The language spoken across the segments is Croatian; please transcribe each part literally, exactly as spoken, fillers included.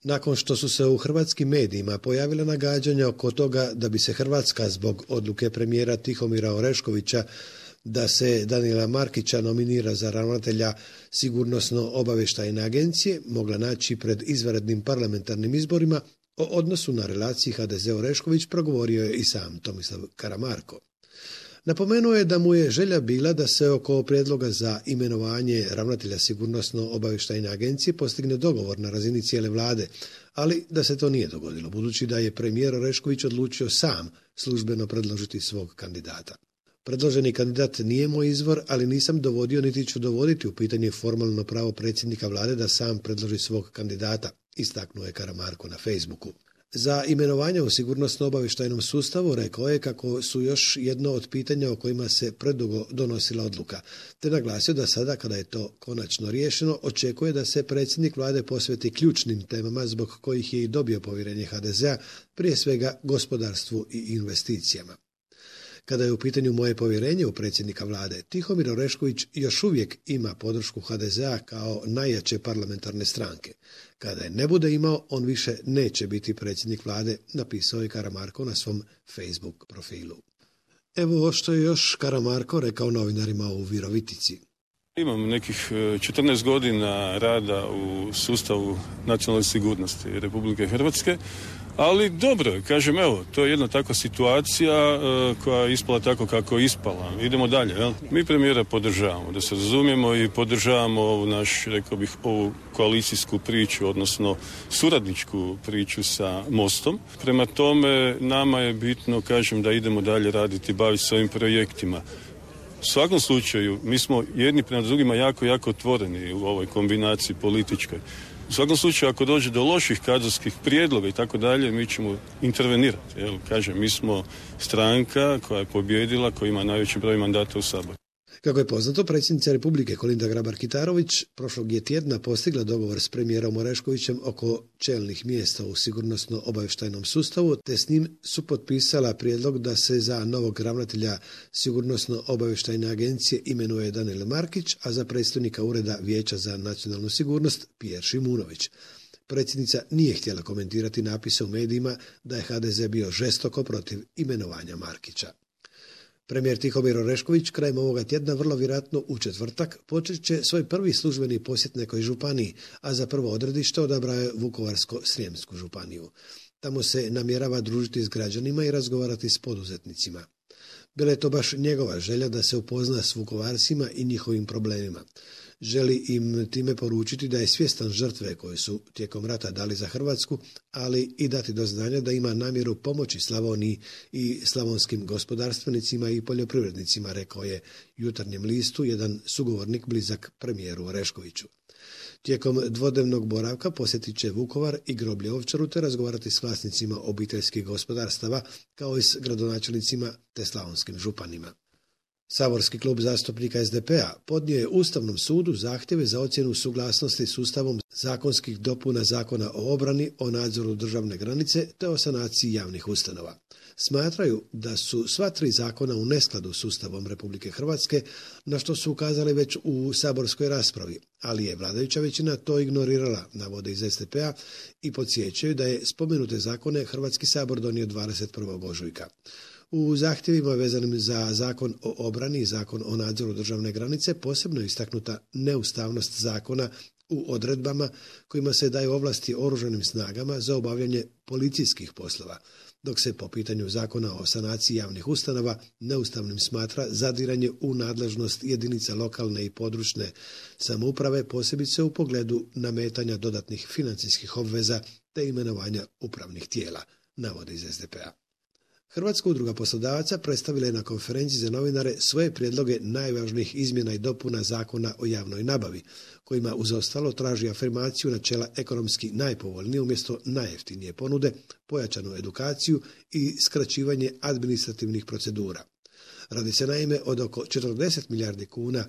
Nakon što su se u hrvatskim medijima pojavile nagađanja oko toga da bi se Hrvatska zbog odluke premijera Tihomira Oreškovića da se Danila Markića nominira za ravnatelja Sigurnosno-obavještajne agencije mogla naći pred izvanrednim parlamentarnim izborima, o odnosu na relaciji ha de ze Orešković progovorio je i sam Tomislav Karamarko. Napomenuo je da mu je želja bila da se oko prijedloga za imenovanje ravnatelja Sigurnosno-obavještajne agencije postigne dogovor na razini cijele vlade, ali da se to nije dogodilo, budući da je premijer Orešković odlučio sam službeno predložiti svog kandidata. Predloženi kandidat nije moj izvor, ali nisam dovodio niti ću dovoditi u pitanje formalno pravo predsjednika vlade da sam predloži svog kandidata, istaknuo je Karamarko na Facebooku. Za imenovanje u sigurnosno-obavještajnom sustavu rekao je kako su još jedno od pitanja o kojima se predugo donosila odluka, te naglasio da sada, kada je to konačno riješeno, očekuje da se predsjednik vlade posveti ključnim temama zbog kojih je i dobio povjerenje ha de zea, prije svega gospodarstvu i investicijama. Kada je u pitanju moje povjerenje u predsjednika vlade, Tihomir Orešković još uvijek ima podršku ha de zea kao najjače parlamentarne stranke. Kada je ne bude imao, on više neće biti predsjednik vlade, napisao je Karamarko na svom Facebook profilu. Evo što je još Karamarko rekao novinarima u Virovitici. Imam nekih četrnaest godina rada u sustavu nacionalne sigurnosti Republike Hrvatske, ali dobro, kažem, evo, to je jedna takva situacija e, koja je ispala tako kako je ispala. Idemo dalje, jel? Mi premijera podržavamo, da se razumijemo, i podržavamo ovu naš, rekao bih, ovu koalicijsku priču, odnosno suradničku priču sa Mostom. Prema tome, nama je bitno, kažem, da idemo dalje raditi, baviti se ovim projektima. U svakom slučaju, mi smo jedni prema drugima jako, jako otvoreni u ovoj kombinaciji političkoj. U svakom slučaju, ako dođe do loših kadrovskih prijedloga i tako dalje, mi ćemo intervenirati. Jel, kažem, mi smo stranka koja je pobjedila, koja ima najveći broj mandata u Saboru. Kako je poznato, predsjednica Republike Kolinda Grabar-Kitarović prošlog je tjedna postigla dogovor s premijerom Oreškovićem oko čelnih mjesta u sigurnosno-obavještajnom sustavu, te s njim su potpisala prijedlog da se za novog ravnatelja Sigurnosno-obavještajne agencije imenuje Danilo Markić, a za predstojnika Ureda Vijeća za nacionalnu sigurnost Pjer Šimunović. Predsjednica nije htjela komentirati napise u medijima da je ha de ze bio žestoko protiv imenovanja Markića. Premijer Tihomir Orešković krajem ovoga tjedna, vrlo vjerojatno u četvrtak, počet će svoj prvi službeni posjet nekoj županiji, a za prvo odredište odabrao je Vukovarsko-srijemsku županiju. Tamo se namjerava družiti s građanima i razgovarati s poduzetnicima. Bila je to baš njegova želja da se upozna s Vukovarcima i njihovim problemima. Želi im time poručiti da je svjestan žrtve koje su tijekom rata dali za Hrvatsku, ali i dati do znanja da ima namjeru pomoći Slavoniji i slavonskim gospodarstvenicima i poljoprivrednicima, rekao je Jutarnjem listu jedan sugovornik blizak premijeru Oreškoviću. Tijekom dvodnevnog boravka posjetit će Vukovar i groblje Ovčaru te razgovarati s vlasnicima obiteljskih gospodarstava kao i s gradonačelnicima te slavonskim županima. Saborski klub zastupnika es de pe a podnio je Ustavnom sudu zahtjeve za ocjenu suglasnosti s Ustavom zakonskih dopuna Zakona o obrani, o nadzoru državne granice te o sanaciji javnih ustanova. Smatraju da su sva tri zakona u neskladu s Ustavom Republike Hrvatske, na što su ukazali već u saborskoj raspravi, ali je vladajuća većina to ignorirala, navode iz es de pe a, i podsjećaju da je spomenute zakone Hrvatski sabor donio dvadeset prvog ožujka. U zahtjevima vezanim za Zakon o obrani i Zakon o nadzoru državne granice posebno je istaknuta neustavnost zakona u odredbama kojima se daju ovlasti oružanim snagama za obavljanje policijskih poslova, dok se po pitanju Zakona o sanaciji javnih ustanova neustavnim smatra zadiranje u nadležnost jedinica lokalne i područne samouprave, posebice u pogledu nametanja dodatnih financijskih obveza te imenovanja upravnih tijela, navode iz es de pe a. Hrvatska udruga poslodavaca predstavila je na konferenciji za novinare svoje prijedloge najvažnijih izmjena i dopuna Zakona o javnoj nabavi, kojima uz ostalo traži afirmaciju načela ekonomski najpovoljnije umjesto najjeftinije ponude, pojačanu edukaciju i skraćivanje administrativnih procedura. Radi se naime od oko četrdeset milijardi kuna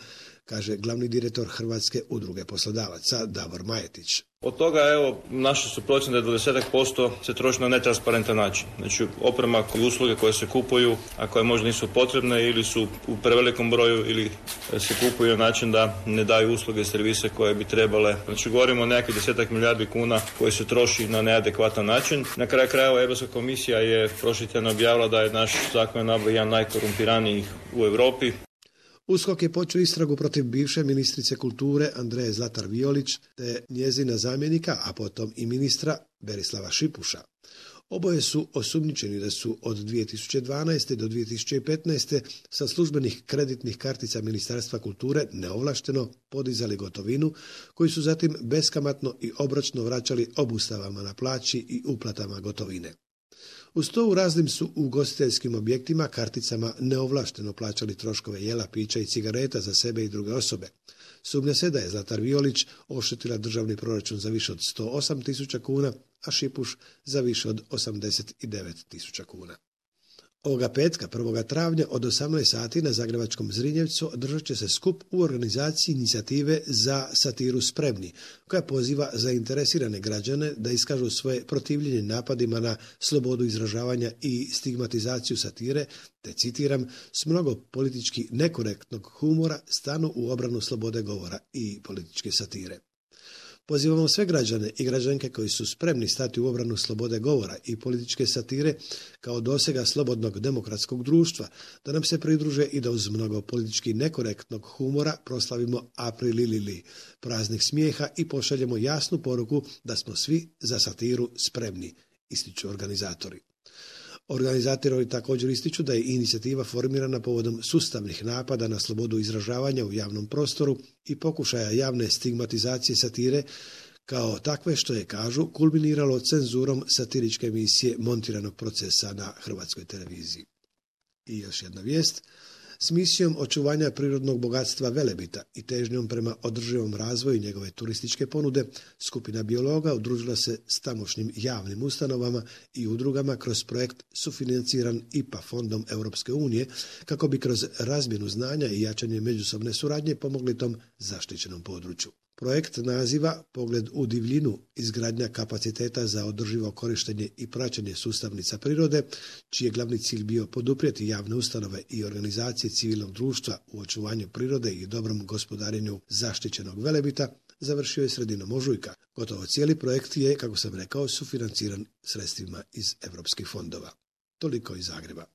kaže glavni direktor Hrvatske udruge poslodavaca Davor Majetić. Od toga, evo, naše su procjene da je dvadeset posto se troši na netransparentan način. Znači, oprema i usluge koje se kupuju, a koje možda nisu potrebne ili su u prevelikom broju ili se kupuju na način da ne daju usluge i servise koje bi trebale. Znači, govorimo o nekakvih desetak milijardi kuna koji se troši na neadekvatan način. Na kraju krajeva Europska komisija je prošli tjedan objavila da je naš zakon nabave jedan najkorumpiranijih u Europi. USKOK je počeo istragu protiv bivše ministrice kulture Andreje Zlatar Violić te njezina zamjenika, a potom i ministra Berislava Šipuša. Oboje su osumnjičeni da su od dvije tisuće dvanaeste do dvije tisuće petnaeste sa službenih kreditnih kartica Ministarstva kulture neovlašteno podizali gotovinu, koju su zatim beskamatno i obročno vraćali obustavama na plaći i uplatama gotovine. Uz to u raznim su ugostiteljskim objektima karticama neovlašteno plaćali troškove jela, pića i cigareta za sebe i druge osobe. Sumnja se da je Zlatar Violić oštetila državni proračun za više od sto osam tisuća kuna, a Šipuš za više od osamdeset devet tisuća kuna. Ovoga petka, prvog travnja od osamnaest sati na zagrebačkom Zrinjevcu održat će se skup u organizaciji inicijative za satiru Spremni, koja poziva zainteresirane građane da iskažu svoje protivljenje napadima na slobodu izražavanja i stigmatizaciju satire, te citiram, s mnogo politički nekorektnog humora stanu u obranu slobode govora i političke satire. Pozivamo sve građane i građanke koji su spremni stati u obranu slobode govora i političke satire kao dosega slobodnog demokratskog društva, da nam se pridruže i da uz mnogo politički nekorektnog humora proslavimo April Lili, praznik smijeha i pošaljemo jasnu poruku da smo svi za satiru spremni, ističu organizatori. Organizatori također ističu da je inicijativa formirana povodom sustavnih napada na slobodu izražavanja u javnom prostoru i pokušaja javne stigmatizacije satire kao takve, što je, kažu, kulminiralo cenzurom satiričke emisije Montiranog procesa na Hrvatskoj televiziji. I još jedna vijest. S misijom očuvanja prirodnog bogatstva Velebita i težnjom prema održivom razvoju njegove turističke ponude, skupina biologa udružila se s tamošnjim javnim ustanovama i udrugama kroz projekt sufinanciran I P A fondom Europske unije, kako bi kroz razmjenu znanja i jačanje međusobne suradnje pomogli tom zaštićenom području. Projekt naziva Pogled u divljinu, izgradnja kapaciteta za održivo korištenje i praćenje sustavnica prirode, čiji je glavni cilj bio poduprijeti javne ustanove i organizacije civilnog društva u očuvanju prirode i dobrom gospodarenju zaštićenog Velebita, završio je sredinom ožujka. Gotovo cijeli projekt je, kako sam rekao, sufinanciran sredstvima iz europskih fondova. Toliko iz Zagreba.